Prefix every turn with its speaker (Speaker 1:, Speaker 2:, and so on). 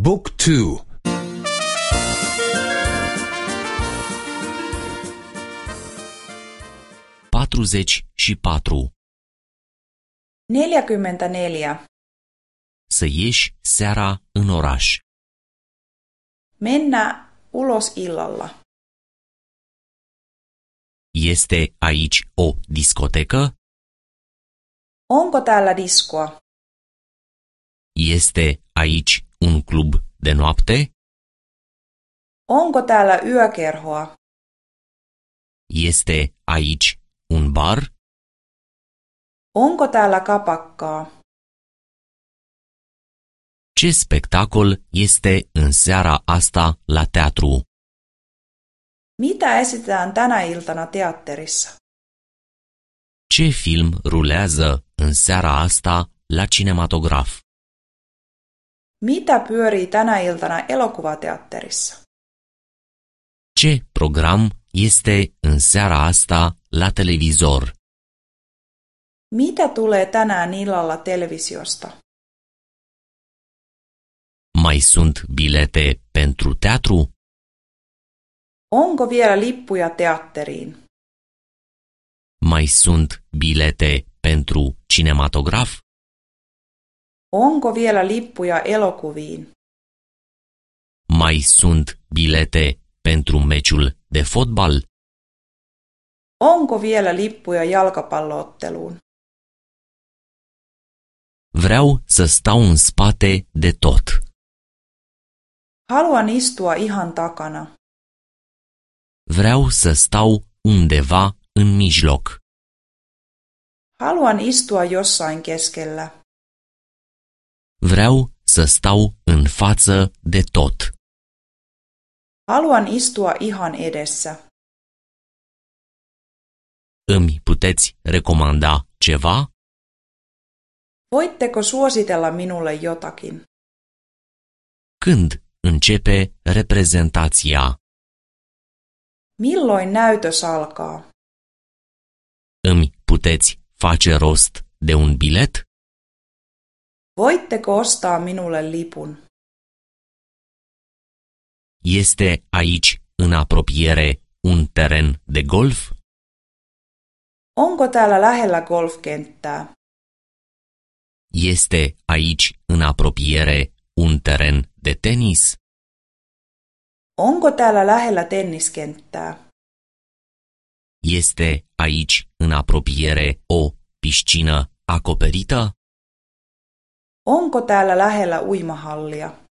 Speaker 1: บุ๊กทู
Speaker 2: 44.
Speaker 3: 44.
Speaker 2: Să ieși seara în oraș.
Speaker 3: Mennä ulos illalla.
Speaker 2: Este aici o discotecă?
Speaker 3: Onko täällä diskoa?
Speaker 2: Este aici un club de noapte?
Speaker 3: Onko täällä yökerhoa?
Speaker 2: Este aici un bar?
Speaker 3: Onko täällä kapakkaa?
Speaker 2: Ce spectacol este în seara asta la teatru?
Speaker 3: Mitä esitetään tänä iltana teatterissa?
Speaker 2: Ce film rulează în seara asta la cinematograf?
Speaker 3: Mitä pyörii tänä iltana elokuvateatterissa?
Speaker 2: Ce program este în seara asta la televizor?
Speaker 3: Mitä tulee tänään illalla televisiosta?
Speaker 2: Mai sunt bilete pentru teatru?
Speaker 3: Onko vielä lippuja teatteriin?
Speaker 2: Mai sunt bilete pentru cinematograf?
Speaker 3: Onko vielä lippuja elokuviin?
Speaker 2: Mai sunt bilete pentru meciul de fotbal?
Speaker 3: Onko vielä lippuja jalkapallootteluun?
Speaker 2: Vreau să stau în spate de tot.
Speaker 3: Haluan istua ihan takana.
Speaker 2: Vreau să stau undeva în mijloc.
Speaker 3: Haluan istua jossain keskellä.
Speaker 2: Vreau să stau în față de tot.
Speaker 3: Haluan istua ihan edessä.
Speaker 2: Îmi puteți recomanda ceva?
Speaker 3: Voitteko suositella minulle jotakin?
Speaker 2: Când începe reprezentația?
Speaker 3: Milloin näytös alkaa?
Speaker 2: Îmi puteți face rost de un bilet?
Speaker 3: Voitteko ostaa minulle lipun?
Speaker 2: Este aici, în apropiere, un teren de golf?
Speaker 3: Onko täällä lähellä golfkenttää?
Speaker 2: Este aici, în apropiere, un teren de tenis?
Speaker 3: Onko täällä lähellä tenniskenttää?
Speaker 2: Este aici, în apropiere, o piscină acoperită?
Speaker 3: Onko täällä lähellä uimahallia?